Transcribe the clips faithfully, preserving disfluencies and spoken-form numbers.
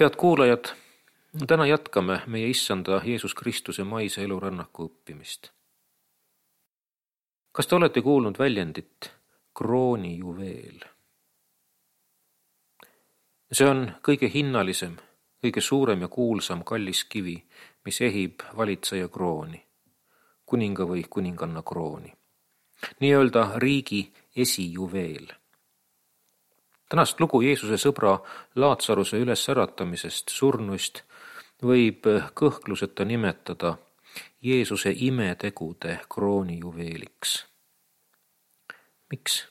Head kuulajad, täna jätkame meie issanda Jeesus Kristuse maise elurännaku õppimist. Kas te olete kuulnud väljendit kroonijuveel? See on kõige hinnalisem, kõige suurem ja kuulsam kallis kivi, mis ehib valitseja krooni, kuninga või kuninganna krooni. Nii-öelda riigi esijuveel. Tänast lugu Jeesuse sõbra Laatsaruse ülesäratamisest surnuist võib kõhkluseta nimetada Jeesuse imetegude kroonijuveeliks. Miks?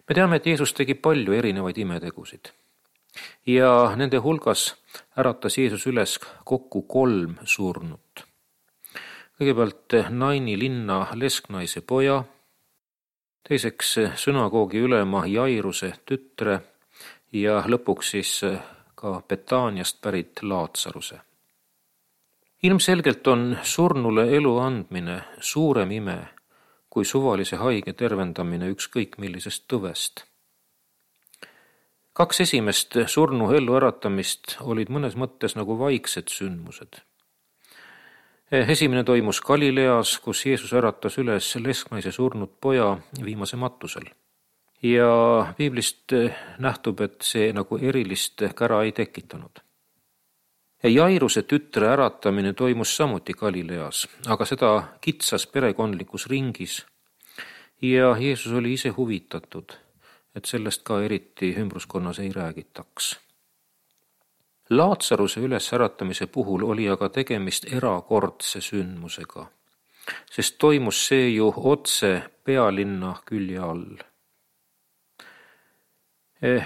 Me teame, et Jeesus tegi palju erinevaid imetegusid ja nende hulgas äratas Jeesus üles kokku kolm surnut. Kõigepealt Naini linna lesknaise poja, teiseks sünagoogi ülema Jairuse tütre ja lõpuks siis ka Betaaniast pärit Laatsaruse. Ilmselgelt on surnule elu andmine suurem ime kui suvalise haige tervendamine ükskõik millisest tõvest. Kaks esimest surnu ellu äratamist olid mõnes mõttes nagu vaiksed sündmused. Esimene toimus Galileas, kus Jeesus äratas üles lesknaise surnud poja viimase matusel. Ja piiblist nähtub, et see nagu erilist kära ei tekitanud. Jairuse tütre äratamine toimus samuti Galileas, aga seda kitsas perekondlikus ringis ja Jeesus oli ise huvitatud, et sellest ka eriti ümbruskonnas ei räägitaks. Laatsaruse ülesäratamise puhul oli aga tegemist erakordse sündmusega, sest toimus see ju otse pealinna külje all.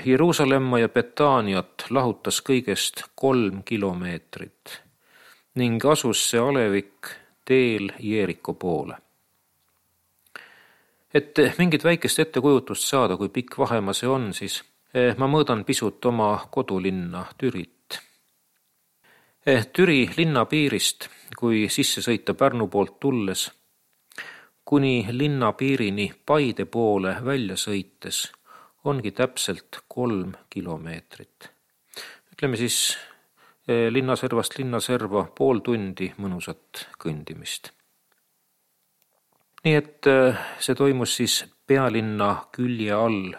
Jeruusalemma ja Betaaniat lahutas kõigest kolm kilomeetrit ning asus see alevik teel Jeeriko poole. Et mingit väikest ettekujutust saada, kui pikk vahemaa see on, siis ma mõõdan pisut oma kodulinna Türit. Türi linna piirist, kui sisse sõita Pärnu poolt tulles, kuni linna piirini Paide poole välja sõites, ongi täpselt kolm kilomeetrit. Ütleme siis linnaservast linnaserva pool tundi mõnusat kõndimist. Nii et see toimus siis pealinna külje all,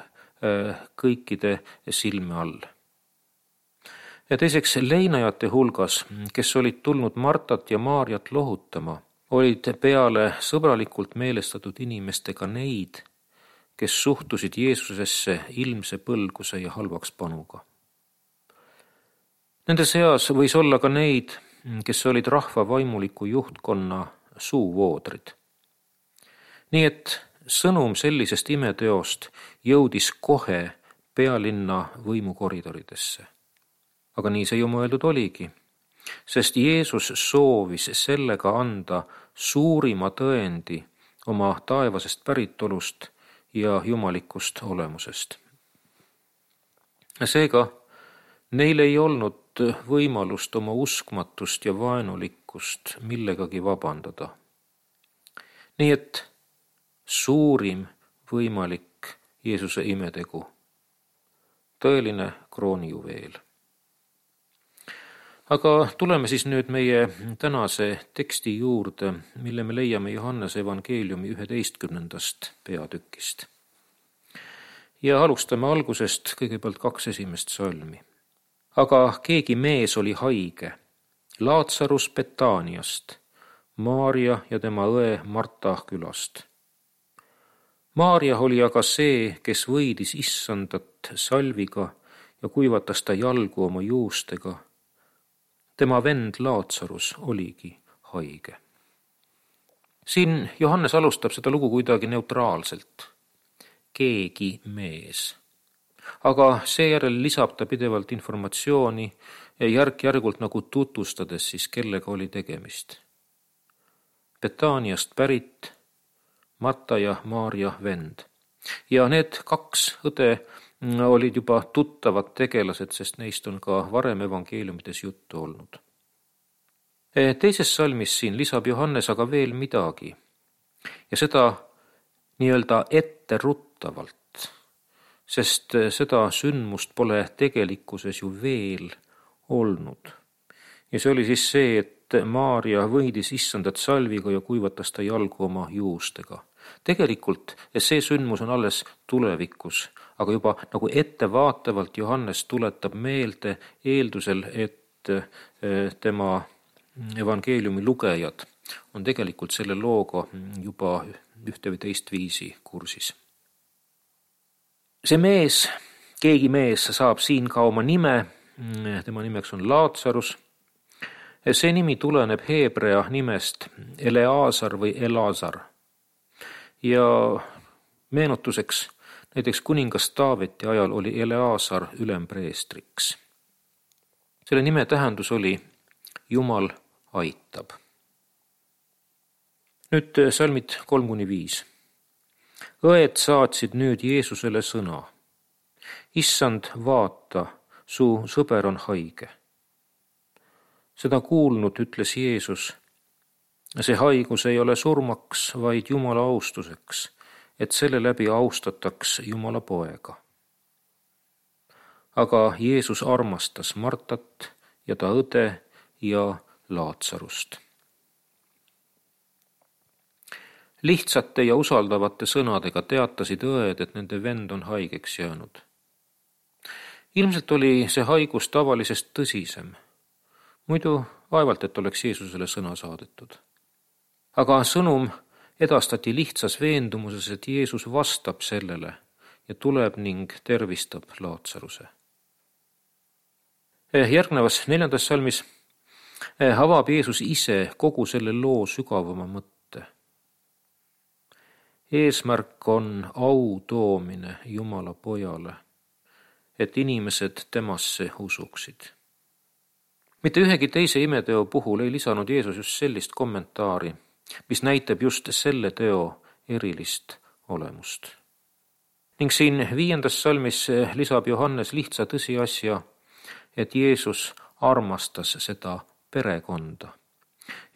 kõikide silme all. Ja teiseks leinajate hulgas, kes olid tulnud Martat ja Maarjat lohutama, olid peale sõbralikult meelestatud inimestega neid, kes suhtusid Jeesusesse ilmse põlguse ja halvaks panuga. Nende seas võis olla ka neid, kes olid rahva vaimuliku juhtkonna suuvoodrid. Nii et sõnum sellisest imeteost jõudis kohe pealinna võimukoridoridesse. Aga nii see ju mõeldud oligi, sest Jeesus soovis sellega anda suurima tõendi oma taevasest päritolust ja jumalikust olemusest. Seega neil ei olnud võimalust oma uskmatust ja vaenulikkust millegagi vabandada. Nii et suurim võimalik Jeesuse imetegu, tõeline kroonijuveel. Aga tuleme siis nüüd meie tänase teksti juurde, mille me leiame Johannese evangeeliumi üheteistkümnendast peatükist. Ja alustame algusest kõigepealt kaks esimest salmi. Aga keegi mees oli haige, Laatsarus Betaaniast, Maarja ja tema õe Marta külast. Maarja oli aga see, kes võidis issandat salviga ja kuivatas ta jalgu oma juustega. Tema vend Laatsarus oligi haige. Siin Johannes alustab seda lugu kuidagi neutraalselt. Keegi mees. Aga seejärel lisab ta pidevalt informatsiooni järk-järgult nagu tutvustades siis, kellega oli tegemist. Betaaniast pärit Marta ja Maarja vend. Ja need kaks õde olid juba tuttavad tegelased, sest neist on ka varem evangeeliumides juttu olnud. Teises salmis siin lisab Johannes aga veel midagi ja seda nii-öelda etteruttavalt, sest seda sündmust pole tegelikkuses ju veel olnud. Ja see oli siis see, et Maarja võidis issandat salviga ja kuivatas ta jalgu oma juustega. Tegelikult see sündmus on alles tulevikus, aga juba nagu ettevaatavalt Johannes tuletab meelde eeldusel, et tema evangeeliumi lugejad on tegelikult selle looga juba ühte või teist viisi kursis. See mees, keegi mees saab siin ka oma nime, tema nimeks on Laatsarus. See nimi tuleneb heebrea nimest Eleazar või Elazar. Ja meenutuseks, näiteks kuningas Taaveti ajal oli Eleazar ülempreestriks. Selle nime tähendus oli Jumal aitab. Nüüd salmid kolm kuni viis. Õed saatsid nüüd Jeesusele sõna. Issand, vaata, su sõber on haige. Seda kuulnud ütles Jeesus, see haigus ei ole surmaks, vaid Jumala austuseks, et selle läbi austataks Jumala poega. Aga Jeesus armastas Martat ja ta õde ja Laatsarust. Lihtsate ja usaldavate sõnadega teatasid õed, et nende vend on haigeks jäänud. Ilmselt oli see haigus tavalisest tõsisem. Muidu vaevalt, et oleks Jeesusele sõna saadetud. Aga sõnum edastati lihtsas veendumuses, et Jeesus vastab sellele ja tuleb ning tervistab Laatsaruse. Järgnevas neljandas salmis avab Jeesus ise kogu selle loo sügavama mõtte. Eesmärk on au toomine Jumala pojale, et inimesed temasse usuksid. Mitte ühegi teise imeteo puhul ei lisanud Jeesus just sellist kommentaari, mis näitab just selle teo erilist olemust. Ning siin viiendas salmis lisab Johannes lihtsa tõsiasja, et Jeesus armastas seda perekonda.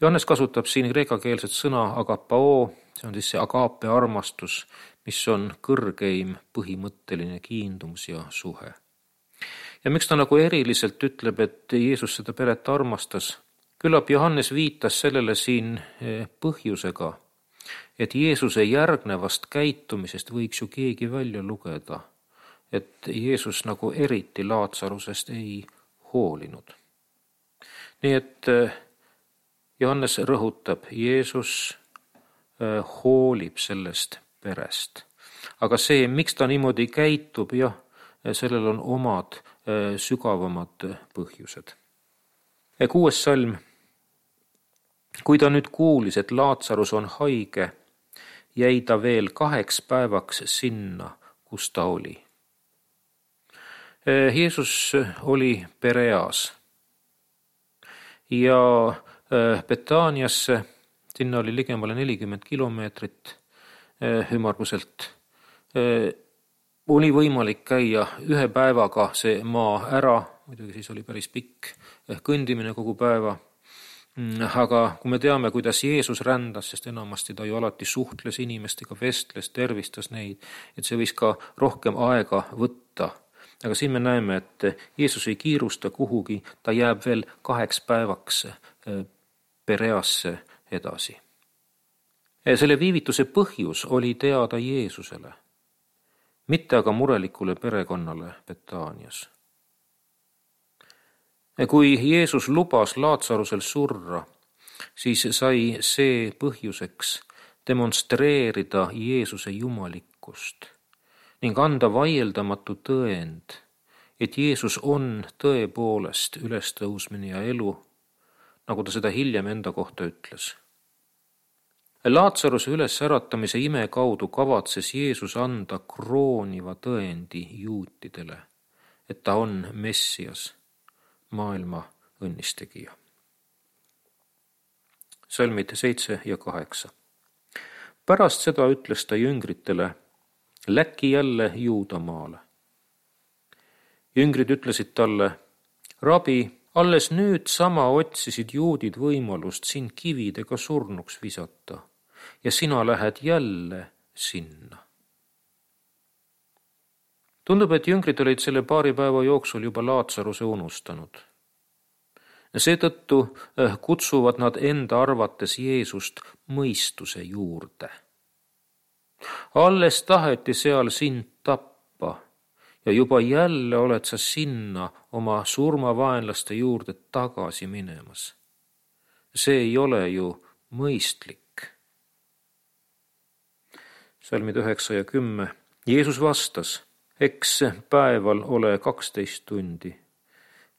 Johannes kasutab siin kreekakeelset sõna agapao, see on siis see agape armastus, mis on kõrgeim põhimõtteline kiindumus ja suhe. Ja miks ta nagu eriliselt ütleb, et Jeesus seda peret armastas? Küllap Johannes viitas sellele siin põhjusega, et Jeesuse järgnevast käitumisest võiks ju keegi välja lugeda, et Jeesus nagu eriti Laatsarusest ei hoolinud. Nii et Johannes rõhutab, Jeesus hoolib sellest perest. Aga see, miks ta niimoodi käitub, jah, sellel on omad sügavamad põhjused. Kuues salm. Kui ta nüüd kuulis, et Laatsarus on haige, jäi ta veel kaheks päevaks sinna, kus ta oli. Jeesus oli Pereas ja Betaaniasse, sinna oli ligemale nelikümmend kilomeetrit ümmarguselt, oli võimalik käia ühe päevaga see maa ära, muidugi siis oli päris pikk kõndimine kogu päeva, aga kui me teame, kuidas Jeesus rändas, sest enamasti ta ju alati suhtles inimestega, vestles, tervistas neid, et see võis ka rohkem aega võtta. Aga siin me näeme, et Jeesus ei kiirusta kuhugi, ta jääb veel kaheks päevaks Pereasse edasi. Selle viivituse põhjus oli teada Jeesusele, mitte aga murelikule perekonnale Betaanias. Kui Jeesus lubas Laatsarusel surra, siis sai see põhjuseks demonstreerida Jeesuse jumalikkust ning anda vaieldamatu tõend, et Jeesus on tõepoolest ülestõusmine ja elu, nagu ta seda hiljem enda kohta ütles. Laatsaruse ülesäratamise ime kaudu kavatses Jeesus anda krooniva tõendi juutidele, et ta on Messias, maailma õnnistegija. Salmid seitse ja kaheksa. Pärast seda ütles ta jüngritele, läki jälle Juudamaale. Jüngrid ütlesid talle, rabi, alles nüüd sama otsisid juudid võimalust sind kividega surnuks visata ja sina lähed jälle sinna. Tundub, et jüngrid olid selle paari päeva jooksul juba Laatsaruse unustanud. Seetõttu kutsuvad nad enda arvates Jeesust mõistuse juurde. Alles taheti seal sind tappa ja juba jälle oled sa sinna oma surmavaenlaste juurde tagasi minemas. See ei ole ju mõistlik. Salmid üheksa ja kümme. Jeesus vastas, eks päeval ole kaksteist tundi.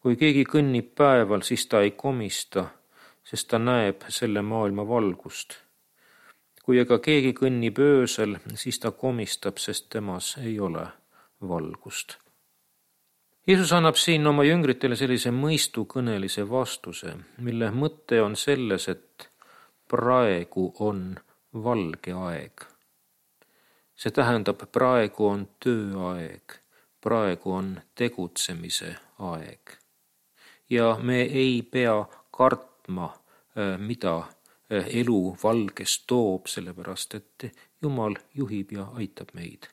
Kui keegi kõnnib päeval, siis ta ei komista, sest ta näeb selle maailma valgust. Kui aga keegi kõnnib öösel, siis ta komistab, sest temas ei ole valgust. Jeesus annab siin oma jüngritele sellise mõistukõnelise vastuse, mille mõte on selles, et praegu on valge aeg. See tähendab, praegu on tööaeg, praegu on tegutsemise aeg. Ja me ei pea kartma, mida elu valges toob, sellepärast et Jumal juhib ja aitab meid.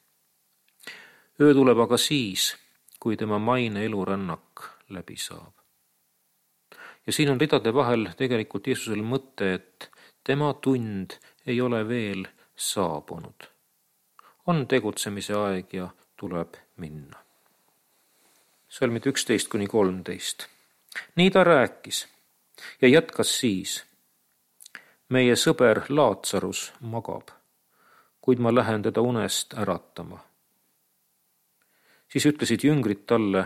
Öö tuleb aga siis, kui tema maine elurännak läbi saab. Ja siin on ridade vahel tegelikult Jeesusel mõte, et tema tund ei ole veel saabunud. On tegutsemise aeg ja tuleb minna. Salmid üksteist kuni kolmteist. Nii ta rääkis ja jätkas siis. Meie sõber Laatsarus magab, kuid ma lähen teda unest äratama. Siis ütlesid jüngrid talle,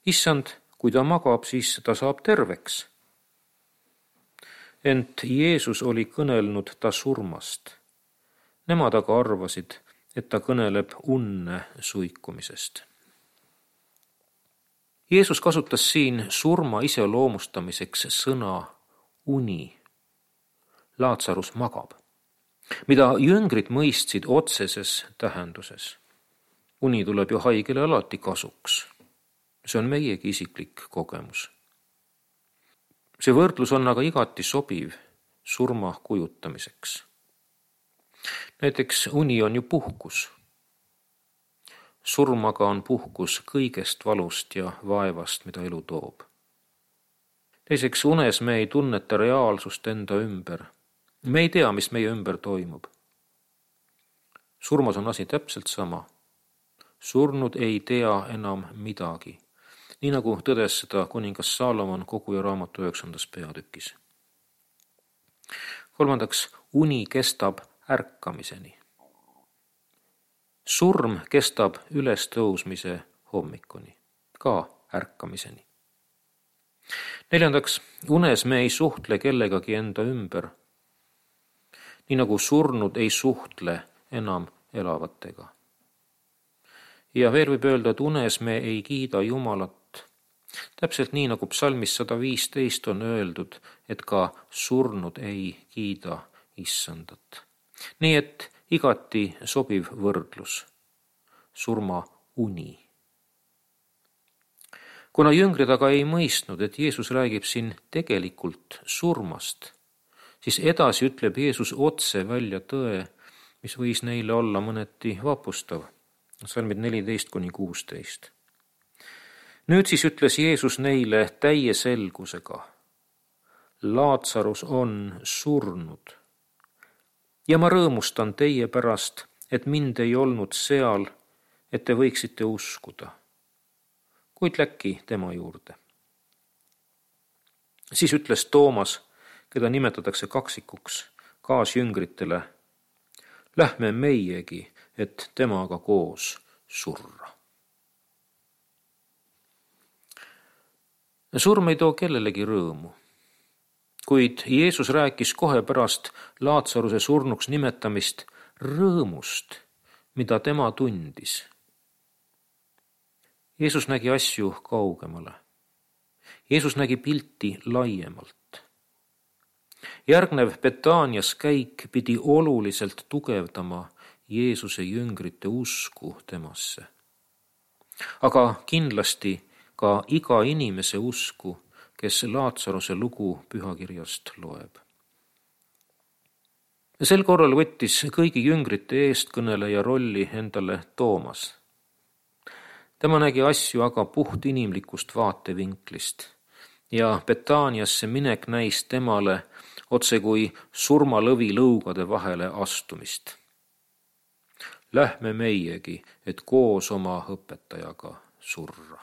issand, kui ta magab, siis ta saab terveks. Ent Jeesus oli kõnelnud ta surmast. Nemad aga arvasid, et ta kõneleb unne suikumisest. Jeesus kasutas siin surma iseloomustamiseks sõna uni. Laatsarus magab, mida jüngrid mõistsid otseses tähenduses. Uni tuleb ju haigele alati kasuks. See on meiegi isiklik kogemus. See võrdlus on aga igati sobiv surma kujutamiseks. Näiteks uni on ju puhkus. Surm aga on puhkus kõigest valust ja vaevast, mida elu toob. Teiseks, unes me ei tunneta reaalsust enda ümber. Me ei tea, mis meie ümber toimub. Surmas on asi täpselt sama. Surnud ei tea enam midagi. Nii nagu tõdes seda kuningas Saalomon Koguja raamatu üheksandas peatükis. Kolmandaks, uni kestab ärkamiseni. Surm kestab ülestõusmise hommikuni, ka ärkamiseni. Neljandaks, unes me ei suhtle kellegagi enda ümber, nii nagu surnud ei suhtle enam elavatega. Ja veel võib öelda, et unes me ei kiida Jumalat, täpselt nii nagu psalmis sada viisteist on öeldud, et ka surnud ei kiida Issandat. Nii et igati sobiv võrdlus, surma uni. Kuna jüngrid aga ei mõistnud, et Jeesus räägib siin tegelikult surmast, siis edasi ütleb Jeesus otse välja tõe, mis võis neile olla mõneti vapustav. Salmid neliteist kuni kuusteist. Nüüd siis ütles Jeesus neile täie selgusega. Laatsarus on surnud. Ja ma rõõmustan teie pärast, et mind ei olnud seal, et te võiksite uskuda. Kuid läki tema juurde. Siis ütles Toomas, keda nimetatakse kaksikuks, kaasjüngritele, lähme meiegi, et temaga koos surra. Surm ei too kellelegi rõõmu. Kuid Jeesus rääkis kohe pärast Laatsaruse surnuks nimetamist rõõmust, mida tema tundis. Jeesus nägi asju kaugemale. Jeesus nägi pilti laiemalt. Järgnev Betaanias käik pidi oluliselt tugevdama Jeesuse jüngrite usku temasse. Aga kindlasti ka iga inimese usku, kes Laatsaruse lugu pühakirjast loeb. Sel korral võttis kõigi jüngrite eestkõneleja rolli endale Toomas. Tema nägi asju aga puht inimlikust vaatevinklist ja Betaaniasse minek näis temale otse kui surmalõvi lõugade vahele astumist. Lähme meiegi, et koos oma õpetajaga surra.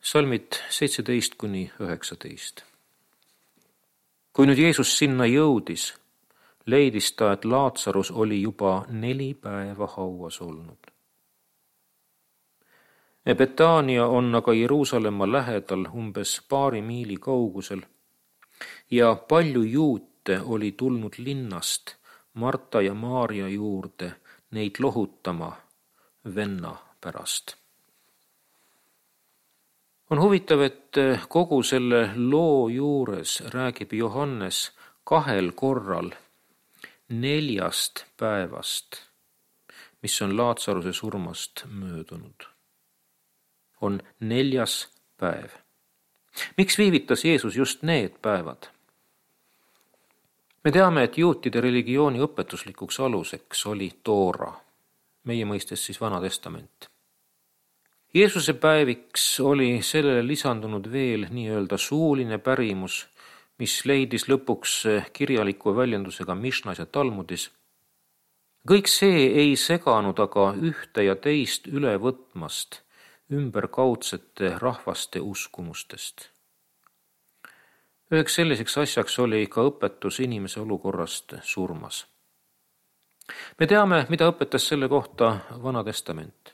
Salmid seitseteist kuni üheksateist. Kui nüüd Jeesus sinna jõudis, leidis ta, et Laatsarus oli juba neli päeva hauas olnud. Betaania on aga Jeruusalemma lähedal umbes paari miili kaugusel ja palju juute oli tulnud linnast Marta ja Maaria juurde neid lohutama venna pärast. On huvitav, et kogu selle loo juures räägib Johannes kahel korral neljast päevast, mis on Laatsaruse surmast möödunud. On neljas päev. Miks viivitas Jeesus just need päevad? Me teame, et juutide religiooni õpetuslikuks aluseks oli Toora, meie mõistes siis Vana Testament. Jeesuse päeviks oli sellele lisandunud veel nii-öelda suuline pärimus, mis leidis lõpuks kirjaliku väljendusega Mišnas ja Talmudis. Kõik see ei seganud aga ühte ja teist üle võtmast ümberkaudsete rahvaste uskumustest. Üheks selliseks asjaks oli ka õpetus inimese olukorrast surmas. Me teame, mida õpetas selle kohta Vana Testament.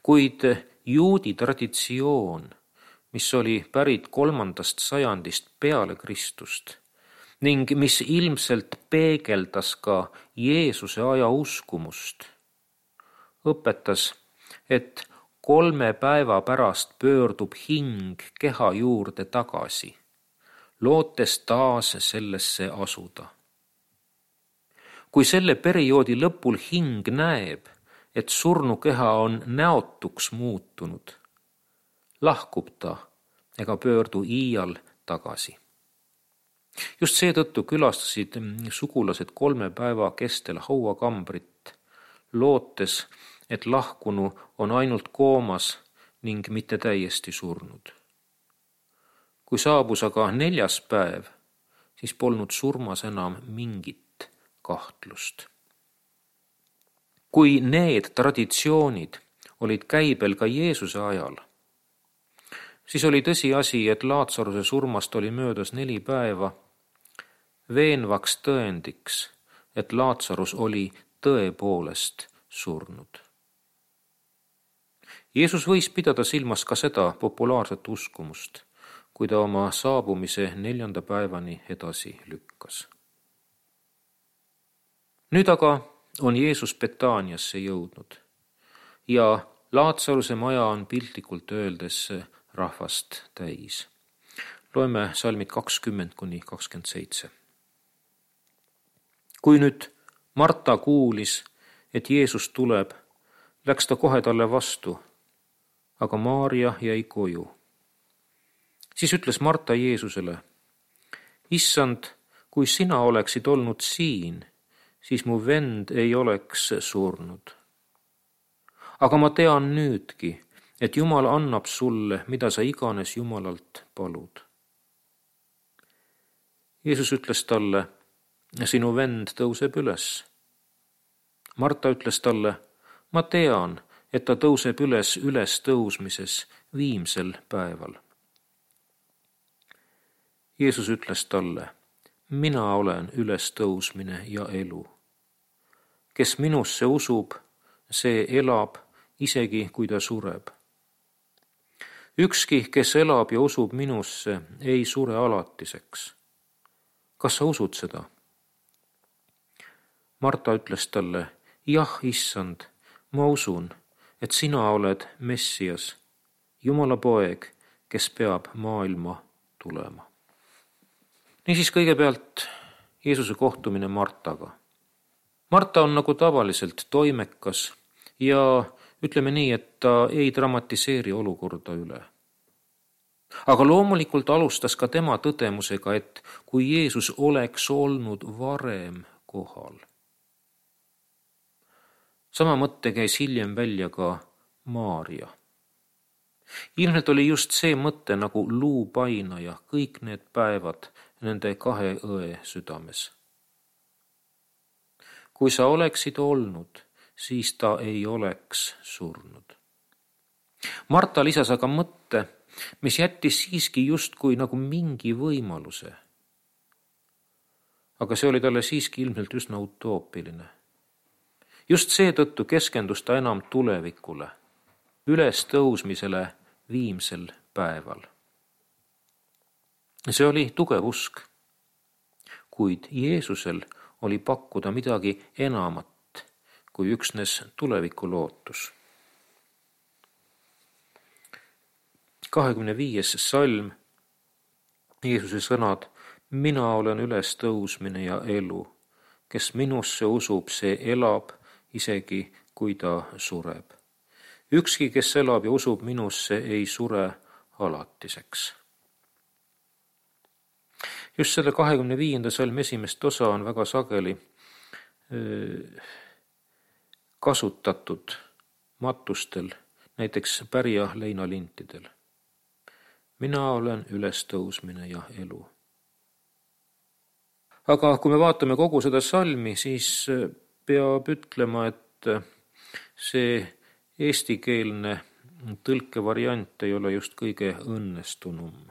Kuid juudi traditsioon, mis oli pärit kolmandast sajandist peale Kristust ning mis ilmselt peegeldas ka Jeesuse aja uskumust, õpetas, et kolme päeva pärast pöördub hing keha juurde tagasi, lootes taas sellesse asuda. Kui selle perioodi lõpul hing näeb, et surnukeha on näotuks muutunud, lahkub ta ega pöördu iial tagasi. Just seetõttu külastasid sugulased kolme päeva kestel hauakambrit, lootes, et lahkunu on ainult koomas ning mitte täiesti surnud. Kui saabus aga neljas päev, siis polnud surmas enam mingit kahtlust. Kui need traditsioonid olid käibel ka Jeesuse ajal, siis oli tõsiasi, et Laatsaruse surmast oli möödas neli päeva, veenvaks tõendiks, et Laatsarus oli tõepoolest surnud. Jeesus võis pidada silmas ka seda populaarset uskumust, kui ta oma saabumise neljanda päevani edasi lükkas. Nüüd aga on Jeesus Betaaniasse jõudnud ja Laatsaruse maja on piltlikult öeldes rahvast täis. Loeme salmid kakskümmend kuni kakskümmend seitse. Kui nüüd Marta kuulis, et Jeesus tuleb, läks ta kohe talle vastu, aga Maaria jäi koju. Siis ütles Marta Jeesusele, Issand, kui sina oleksid olnud siin, siis mu vend ei oleks surnud. Aga ma tean nüüdki, et Jumal annab sulle, mida sa iganes Jumalalt palud. Jeesus ütles talle, sinu vend tõuseb üles. Marta ütles talle, ma tean, et ta tõuseb üles üles tõusmises viimsel päeval. Jeesus ütles talle, mina olen üles tõusmine ja elu. Kes minusse usub, see elab, isegi kui ta sureb. Ükski, kes elab ja usub minusse, ei sure alatiseks. Kas sa usud seda? Marta ütles talle, jah, issand, ma usun, et sina oled Messias, Jumala poeg, kes peab maailma tulema. Niisiis kõigepealt Jeesuse kohtumine Martaga. Marta on nagu tavaliselt toimekas ja ütleme nii, et ta ei dramatiseeri olukorda üle. Aga loomulikult alustas ka tema tõdemusega, et kui Jeesus oleks olnud varem kohal. Sama mõtte käis hiljem välja ka Maaria. Ilmselt oli just see mõte nagu luupainaja kõik need päevad nende kahe õe südames. Kui sa oleksid olnud, siis ta ei oleks surnud. Marta lisas aga mõtte, mis jättis siiski justkui nagu mingi võimaluse. Aga see oli talle siiski ilmselt üsna utoopiline. Just seetõttu keskendus ta enam tulevikule, üles tõusmisele viimsel päeval. See oli tugev usk, kuid Jeesusel oli pakkuda midagi enamat kui üksnes tuleviku lootus. kahekümne viies salm, Jeesuse sõnad: mina olen üles tõusmine ja elu. Kes minusse usub, see elab, isegi kui ta sureb. Ükski, kes elab ja usub minusse, ei sure alatiseks. Just selle kahekümne viienda salmi esimest osa on väga sageli kasutatud matustel, näiteks pärja leinalintidel. Mina olen ülestõusmine ja elu. Aga kui me vaatame kogu seda salmi, siis peab ütlema, et see eestikeelne tõlkevariant ei ole just kõige õnnestunum.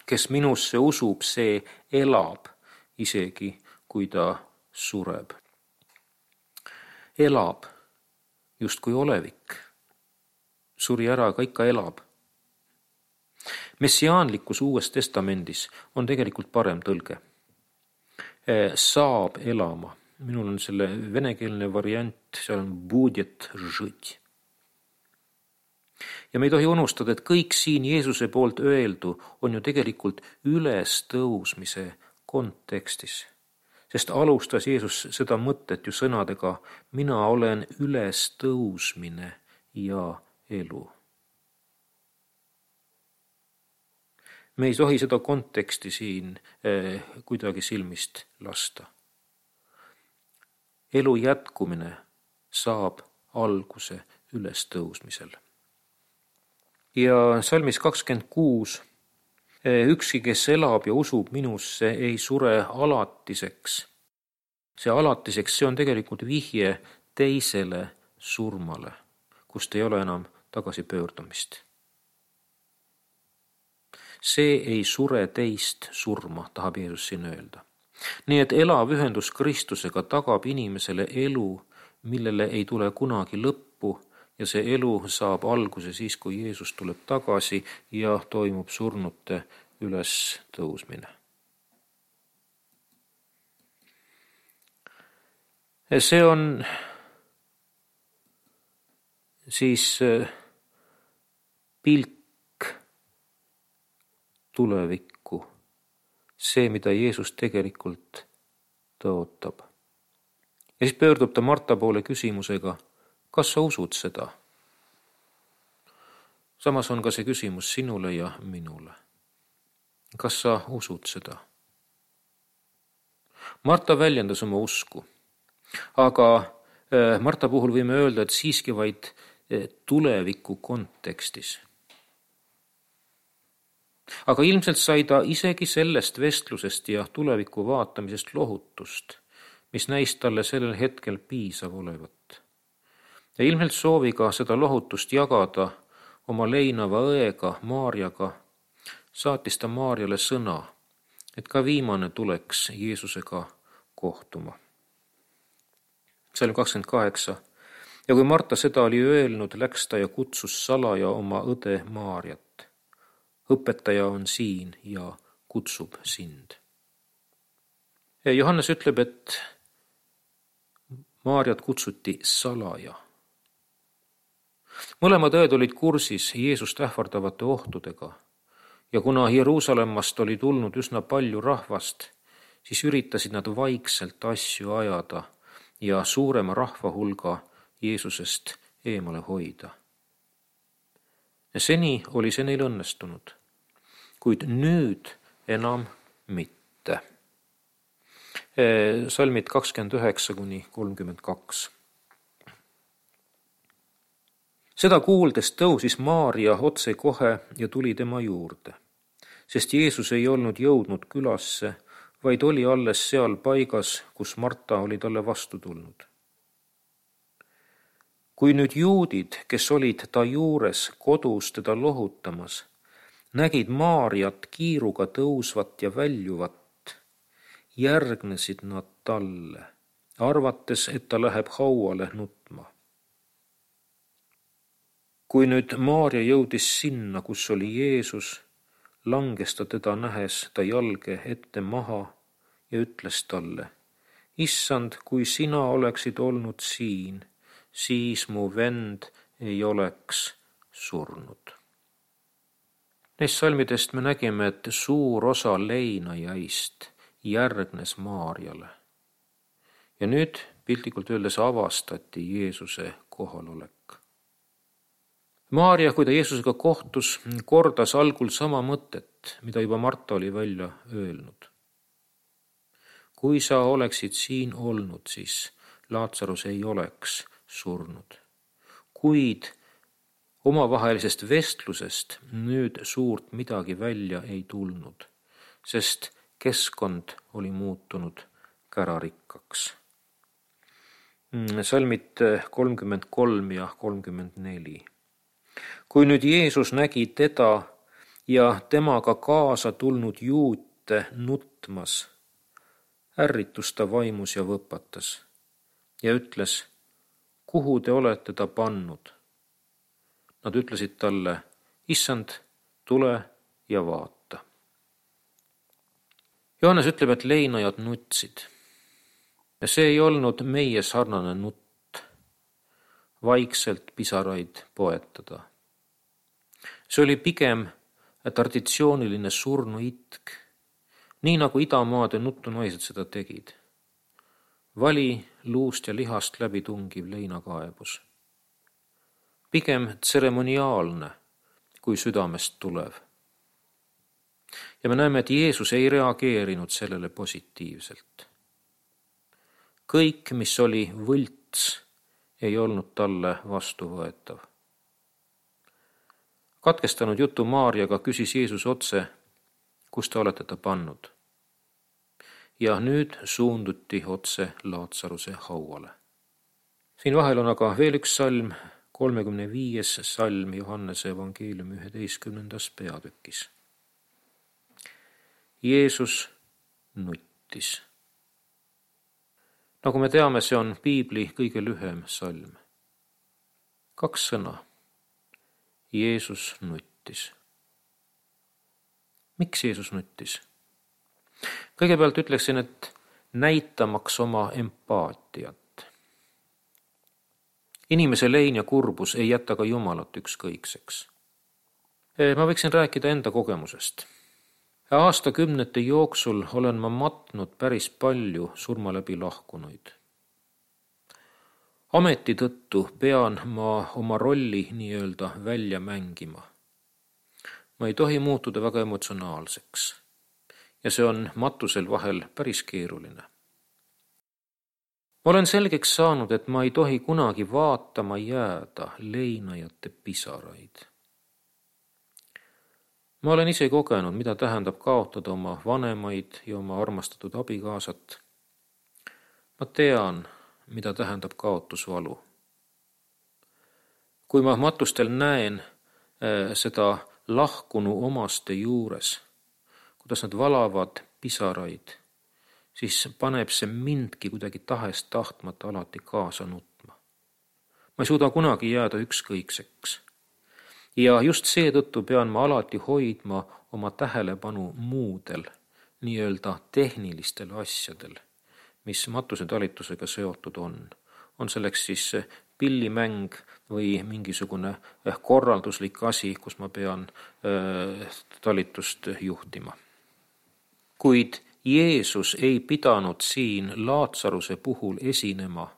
Kes minusse usub, see elab, isegi kui ta sureb. Elab, justkui olevik. Suri ära, aga ikka elab. Messiaanlikus Uues Testamendis on tegelikult parem tõlge. Saab elama. Minul on selle venekeelne variant, seal on будет жить. Ja me ei tohi unustada, et kõik siin Jeesuse poolt öeldu on ju tegelikult ülestõusmise kontekstis. Sest alustas Jeesus seda mõtet ju sõnadega: mina olen ülestõusmine ja elu. Me ei tohi seda konteksti siin eh, kuidagi silmist lasta. Elu jätkumine saab alguse ülestõusmisel. Ja salmis kakskümmend kuus, ükski, kes elab ja usub minusse, ei sure alatiseks. See alatiseks, see on tegelikult vihje teisele surmale, kust ei ole enam tagasipöördumist. See ei sure teist surma, tahab Jeesus siin öelda. Nii et elav ühendus Kristusega tagab inimesele elu, millele ei tule kunagi lõppu, ja see elu saab alguse siis, kui Jeesus tuleb tagasi ja toimub surnute üles tõusmine. See on siis pilk tulevikku, see, mida Jeesus tegelikult tõotab. Ja siis pöördub ta Marta poole küsimusega: kas sa usud seda? Samas on ka see küsimus sinule ja minule. Kas sa usud seda? Marta väljendas oma usku, aga Marta puhul võime öelda, et siiski vaid tuleviku kontekstis. Aga ilmselt sai ta isegi sellest vestlusest ja tuleviku vaatamisest lohutust, mis näis talle sellel hetkel piisav olevat. Ja ilmselt sooviga seda lohutust jagada oma leinava õega Maarjaga, saatis ta Maarjale sõna, et ka viimane tuleks Jeesusega kohtuma. Salm kakskümmend kaheksa. Ja kui Marta seda oli öelnud, läks ta ja kutsus salaja oma õde Maarjat. Õpetaja on siin ja kutsub sind. Ja Johannes ütleb, et Maarjat kutsuti salaja. Mõlemad õed olid kursis Jeesust ähvardavate ohtudega ja kuna Jeruusalemmast oli tulnud üsna palju rahvast, siis üritasid nad vaikselt asju ajada ja suurema rahva hulga Jeesusest eemale hoida. Ja seni oli see neil õnnestunud, kuid nüüd enam mitte. Salmid kakskümmend üheksa kuni kolmkümmend kaks. Seda kuuldes tõusis Maarja otse kohe ja tuli tema juurde, sest Jeesus ei olnud jõudnud külasse, vaid oli alles seal paigas, kus Marta oli talle vastu tulnud. Kui nüüd juudid, kes olid ta juures kodus teda lohutamas, nägid Maarjat kiiruga tõusvat ja väljuvat, järgnesid nad talle, arvates, et ta läheb hauale nutma. Kui nüüd Maarja jõudis sinna, kus oli Jeesus, langes ta teda nähes ta jalge ette maha ja ütles talle, Issand, kui sina oleksid olnud siin, siis mu vend ei oleks surnud. Neist salmidest me nägime, et suur osa leinajaist järgnes Maarjale. Ja nüüd piltlikult öeldes avastati Jeesuse kohalolek. Maarja, kui ta Jeesusega kohtus, kordas algul sama mõtet, mida juba Marta oli välja öelnud. Kui sa oleksid siin olnud, siis Laatsarus ei oleks surnud. Kuid omavahelisest vestlusest nüüd suurt midagi välja ei tulnud, sest keskkond oli muutunud kärarikkaks. Salmid kolmkümmend kolm ja kolmkümmend neli. Kui nüüd Jeesus nägi teda ja temaga kaasa tulnud juute nutmas, ärritus ta vaimus ja võpatas ja ütles, kuhu te olete ta pannud? Nad ütlesid talle, Issand, tule ja vaata. Johannes ütleb, et leinajad nutsid. Ja see ei olnud meie sarnane nutt, vaikselt pisaraid poetada. See oli pigem traditsiooniline surnu itk, nii nagu idamaade nuttunaised seda tegid. Vali luust ja lihast läbi tungiv leinakaebus. Pigem tseremoniaalne kui südamest tulev. Ja me näeme, et Jeesus ei reageerinud sellele positiivselt. Kõik, mis oli võlts, ei olnud talle vastuvõetav. Katkestanud jutu Maarjaga küsis Jeesus otse, kus te olete ta pannud. Ja nüüd suunduti otse Laatsaruse hauale. Siin vahel on aga veel üks salm, kolmekümne viies salm Johannese evangeeliumi üheteistkümnendas peatükis. Jeesus nuttis. Nagu me teame, see on piibli kõige lühem salm. Kaks sõna. Jeesus nuttis. Miks Jeesus nuttis? Kõigepealt ütleksin, et näitamaks oma empaatiat. Inimese lein ja kurbus ei jäta ka Jumalat ükskõikseks. Ma võiksin rääkida enda kogemusest. Aastakümnete jooksul olen ma matnud päris palju surma läbi lahkunuid. Ameti tõttu pean ma oma rolli nii-öelda välja mängima. Ma ei tohi muutuda väga emotsionaalseks ja see on matusel vahel päris keeruline. Ma olen selgeks saanud, et ma ei tohi kunagi vaatama jääda leinajate pisaraid. Ma olen ise kogenud, mida tähendab kaotada oma vanemaid ja oma armastatud abikaasat. Ma tean, mida tähendab kaotusvalu. Kui ma matustel näen äh, seda lahkunu omaste juures, kuidas nad valavad pisaraid, siis paneb see mindki kuidagi tahest tahtmata alati kaasa nutma. Ma ei suuda kunagi jääda ükskõikseks. Ja just seetõttu pean ma alati hoidma oma tähelepanu muudel, nii-öelda tehnilistel asjadel, mis matusetalitusega seotud on. On selleks siis pillimäng või mingisugune korralduslik asi, kus ma pean äh, talitust juhtima. Kuid Jeesus ei pidanud siin Laatsaruse puhul esinema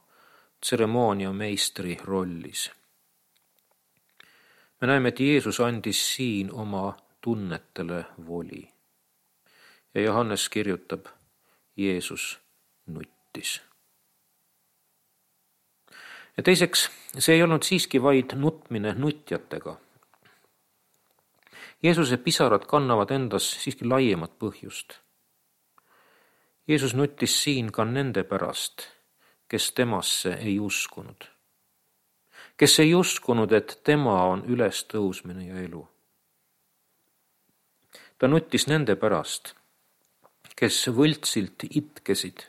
tseremoonia meistri rollis. Me näeme, et Jeesus andis siin oma tunnetele voli. Ja Johannes kirjutab, Jeesus nuttis. Ja teiseks, see ei olnud siiski vaid nutmine nutjatega. Jeesuse pisarad kannavad endas siiski laiemat põhjust. Jeesus nuttis siin ka nende pärast, kes temasse ei uskunud. Kes ei uskunud, et tema on ülestõusmine ja elu. Ta nuttis nende pärast, kes võltsilt itkesid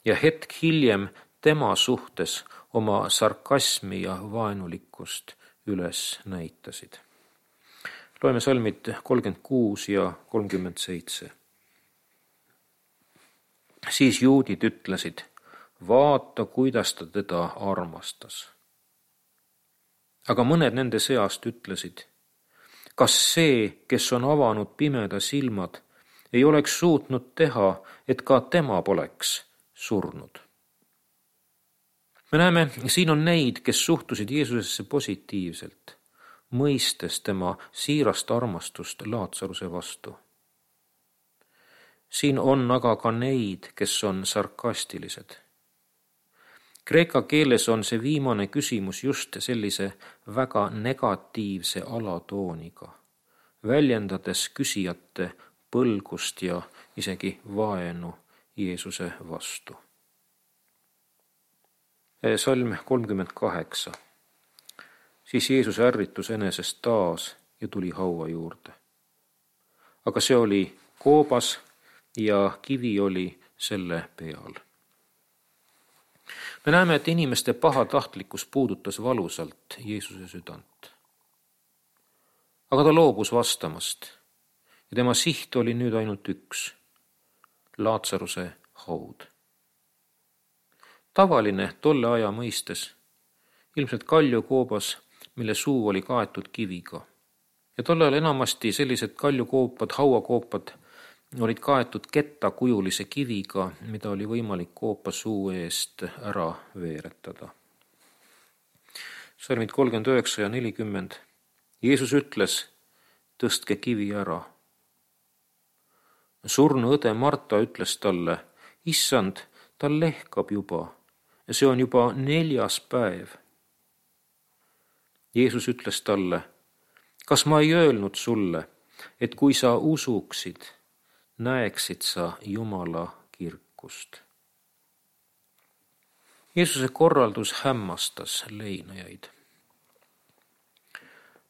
ja hetk hiljem tema suhtes oma sarkasmi ja vaenulikkust üles näitasid. Loeme salmid kolmkümmend kuus ja kolmkümmend seitse. Siis juudid ütlesid, vaata, kuidas ta teda armastas. Aga mõned nende seast ütlesid, kas see, kes on avanud pimeda silmad, ei oleks suutnud teha, et ka tema poleks surnud. Me näeme, siin on neid, kes suhtusid Jeesusesse positiivselt, mõistes tema siirast armastust Laatsaruse vastu. Siin on aga ka neid, kes on sarkastilised. Kreeka keeles on see viimane küsimus just sellise väga negatiivse alatooniga, väljendades küsijate põlgust ja isegi vaenu Jeesuse vastu. Salm kolmkümmend kaheksa. Siis Jeesus ärritus enesest taas ja tuli haua juurde. Aga see oli koobas ja kivi oli selle peal. Me näeme, et inimeste pahatahtlikkus puudutas valusalt Jeesuse südant. Aga ta loobus vastamast ja tema siht oli nüüd ainult üks, Laatsaruse haud. Tavaline tolle aja mõistes, ilmselt kaljukoobas, mille suu oli kaetud kiviga. Ja tolle ajal enamasti sellised kaljukoopad, hauakoopad olid kaetud kettakujulise kiviga, mida oli võimalik koopa suu eest ära veeretada. Salmid kolmkümmend üheksa ja nelikümmend. Jeesus ütles, tõstke kivi ära. Surnu õde Marta ütles talle, issand, ta lehkab juba. See on juba neljas päev. Jeesus ütles talle, kas ma ei öelnud sulle, et kui sa usuksid, näeksid sa Jumala kirkust. Jeesuse korraldus hämmastas leinajaid.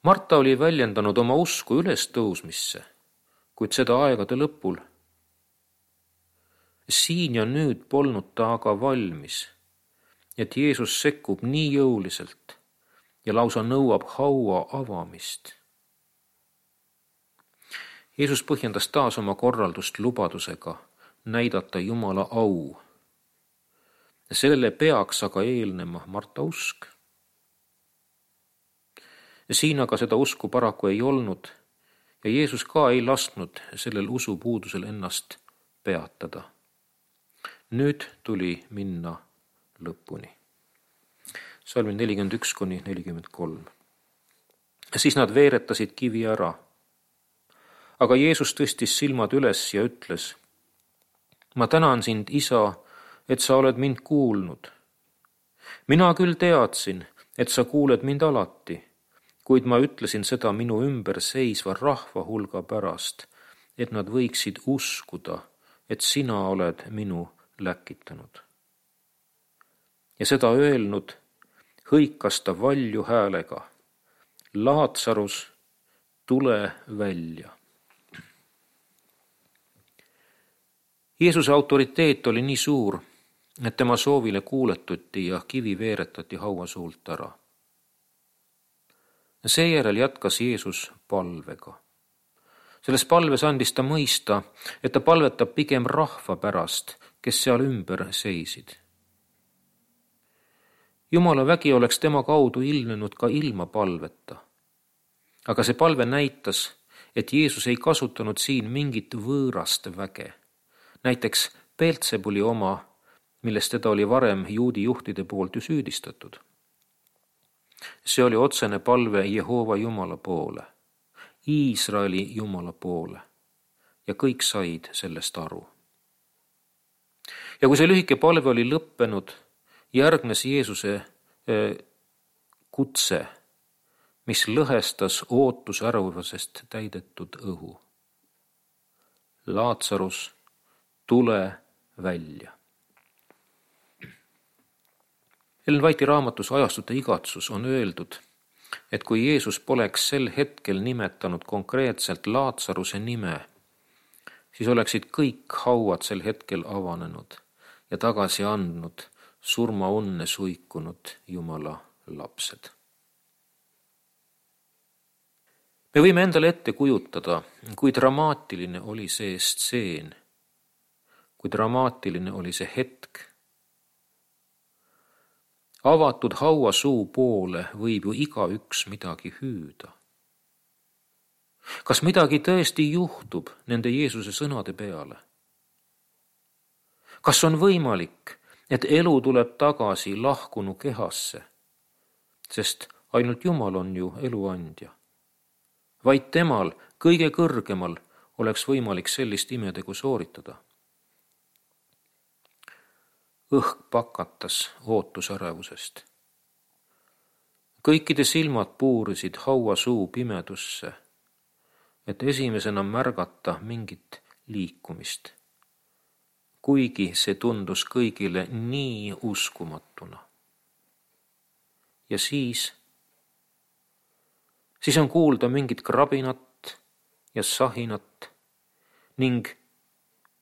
Marta oli väljendanud oma usku ülestõusmisse, kuid seda aegade lõpul. Siin ja nüüd polnud ta aga valmis, et Jeesus sekkub nii jõuliselt ja lausa nõuab haua avamist. Jeesus põhjendas taas oma korraldust lubadusega näidata Jumala au. Sellele peaks aga eelnema Marta usk. Siin aga seda usku paraku ei olnud ja Jeesus ka ei lasknud sellel usupuudusel ennast peatada. Nüüd tuli minna lõpuni. Salmid nelikümmend üks kuni nelikümmend kolm. Siis nad veeretasid kivi ära. Aga Jeesus tõstis silmad üles ja ütles, ma tänan sind, isa, et sa oled mind kuulnud. Mina küll teadsin, et sa kuuled mind alati, kuid ma ütlesin seda minu ümber seisva rahva hulga pärast, et nad võiksid uskuda, et sina oled minu läkitanud. Ja seda öelnud, hõikas ta valju häälega, Laatsarus, tule välja. Jeesuse autoriteet oli nii suur, et tema soovile kuuletuti ja kivi veeretati haua suult ära. Seejärel jätkas Jeesus palvega. Selles palves andis ta mõista, et ta palvetab pigem rahva pärast, kes seal ümber seisid. Jumala vägi oleks tema kaudu ilmnenud ka ilma palveta. Aga see palve näitas, et Jeesus ei kasutanud siin mingit võõrast väge. Näiteks Beelzebuli oma, millest teda oli varem juudi juhtide poolt ju süüdistatud. See oli otsene palve Jehova Jumala poole, Iisraeli Jumala poole ja kõik said sellest aru. Ja kui see lühike palve oli lõppenud, järgnes Jeesuse kutse, mis lõhestas ootusärevusest täidetud õhu. Laatsarus, tule välja. Ellen White'i raamatus Ajastute igatsus on öeldud, et kui Jeesus poleks sel hetkel nimetanud konkreetselt Laatsaruse nime, siis oleksid kõik hauad sel hetkel avanenud ja tagasi andnud surmaunne suikunud Jumala lapsed. Me võime endale ette kujutada, kui dramaatiline oli see stseen, kui dramaatiline oli see hetk. Avatud hauasuu poole võib ju igaüks midagi hüüda. Kas midagi tõesti juhtub nende Jeesuse sõnade peale? Kas on võimalik, et elu tuleb tagasi lahkunu kehasse, sest ainult Jumal on ju eluandja? Vaid temal, kõige kõrgemal, oleks võimalik sellist imetegu sooritada. Õhk pakatas ootusärevusest. Kõikide silmad puurisid hauasuu pimedusse, et esimesena märgata mingit liikumist, kuigi see tundus kõigile nii uskumatuna. Ja siis, siis on kuulda mingit krabinat ja sahinat ning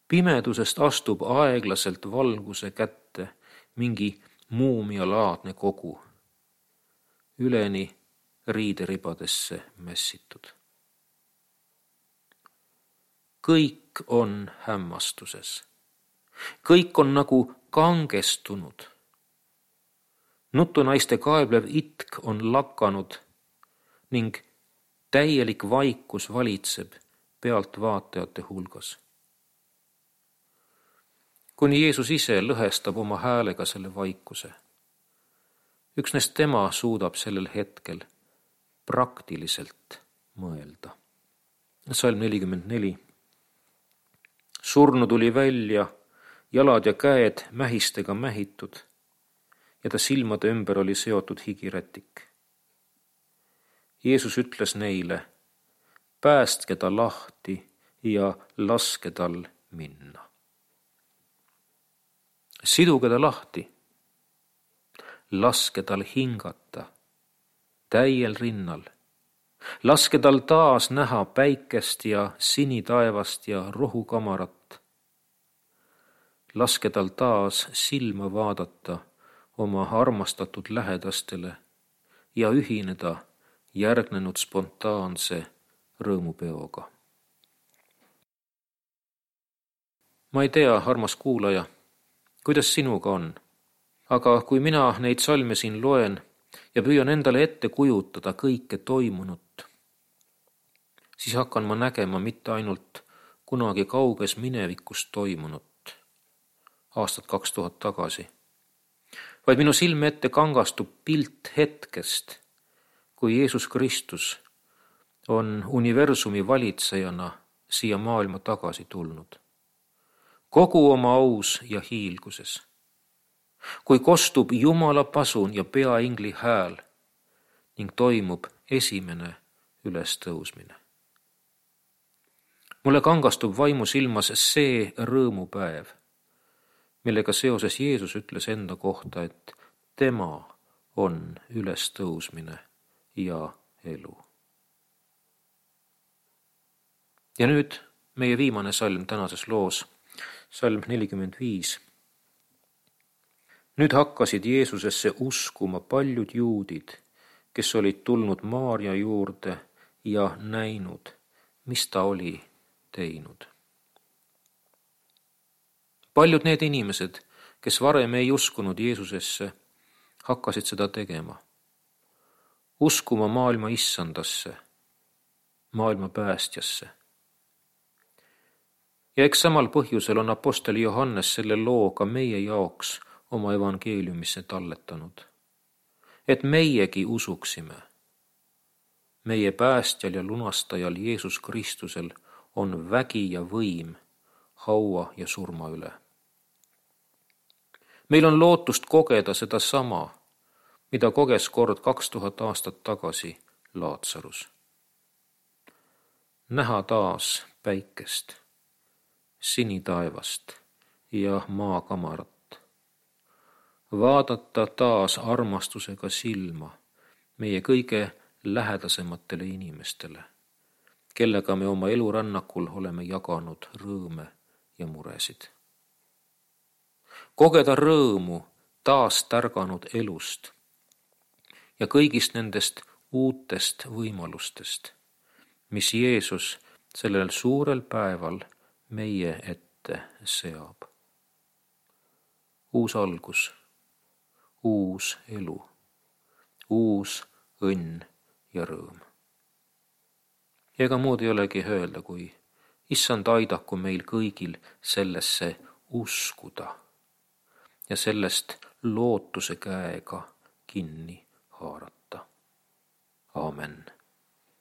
pimedusest astub aeglaselt valguse kätte mingi muumialaadne kogu, üleni riideribadesse mässitud. Kõik on hämmastuses. Kõik on nagu kangestunud. Nutunaiste kaeblev itk on lakanud ning täielik vaikus valitseb pealtvaatajate hulgas. Kuni Jeesus ise lõhestab oma häälega selle vaikuse. Üksnes tema suudab sellel hetkel praktiliselt mõelda. Salm nelikümmend neli. Surnu tuli välja, jalad ja käed mähistega mähitud ja ta silmade ümber oli seotud higirätik. Jeesus ütles neile, päästke ta lahti ja laske tal minna. Siduge ta lahti, laske tal hingata täiel rinnal, laske tal taas näha päikest ja sinitaevast ja rohukamarat, laske tal taas silma vaadata oma armastatud lähedastele ja ühineda järgnenud spontaanse rõõmupeoga. Ma ei tea, armas kuulaja, kuidas sinuga on, aga kui mina neid salme siin loen ja püüan endale ette kujutada kõike toimunut, siis hakkan ma nägema mitte ainult kunagi kauges minevikus toimunut, aastat kaks tuhat tagasi, vaid minu silme ette kangastub pilt hetkest, kui Jeesus Kristus on universumi valitsejana siia maailma tagasi tulnud. Kogu oma aus ja hiilguses. Kui kostub Jumala pasun ja peaingli hääl ning toimub esimene ülestõusmine. Mulle kangastub vaimu silmas see rõõmupäev, millega seoses Jeesus ütles enda kohta, et tema on ülestõusmine ja elu. Ja nüüd meie viimane salm tänases loos, salm nelikümmend viis. Nüüd hakkasid Jeesusesse uskuma paljud juudid, kes olid tulnud Maarja juurde ja näinud, mis ta oli teinud. Paljud need inimesed, kes varem ei uskunud Jeesusesse, hakkasid seda tegema. Uskuma maailma issandasse, maailma päästjasse. Ja eks samal põhjusel on apostel Johannes selle loo ka meie jaoks oma evangeeliumisse talletanud. Et meiegi usuksime. Meie päästjal ja lunastajal Jeesus Kristusel on vägi ja võim haua ja surma üle. Meil on lootust kogeda seda sama, mida koges kord kaks tuhat aastat tagasi Laatsarus. Näha taas päikest, sinitaevast ja maakamarat. Vaadata taas armastusega silma meie kõige lähedasematele inimestele, kellega me oma elurännakul oleme jaganud rõõme ja muresid. Kogeda rõõmu taas tärganud elust ja kõigist nendest uutest võimalustest, mis Jeesus sellel suurel päeval meie ette seab. Uus algus, uus elu, uus õnn ja rõõm. Ja ega muud ei olegi öelda, kui Issand aidaku meil kõigil sellesse uskuda ja sellest lootuse käega kinni haarata. Aamen.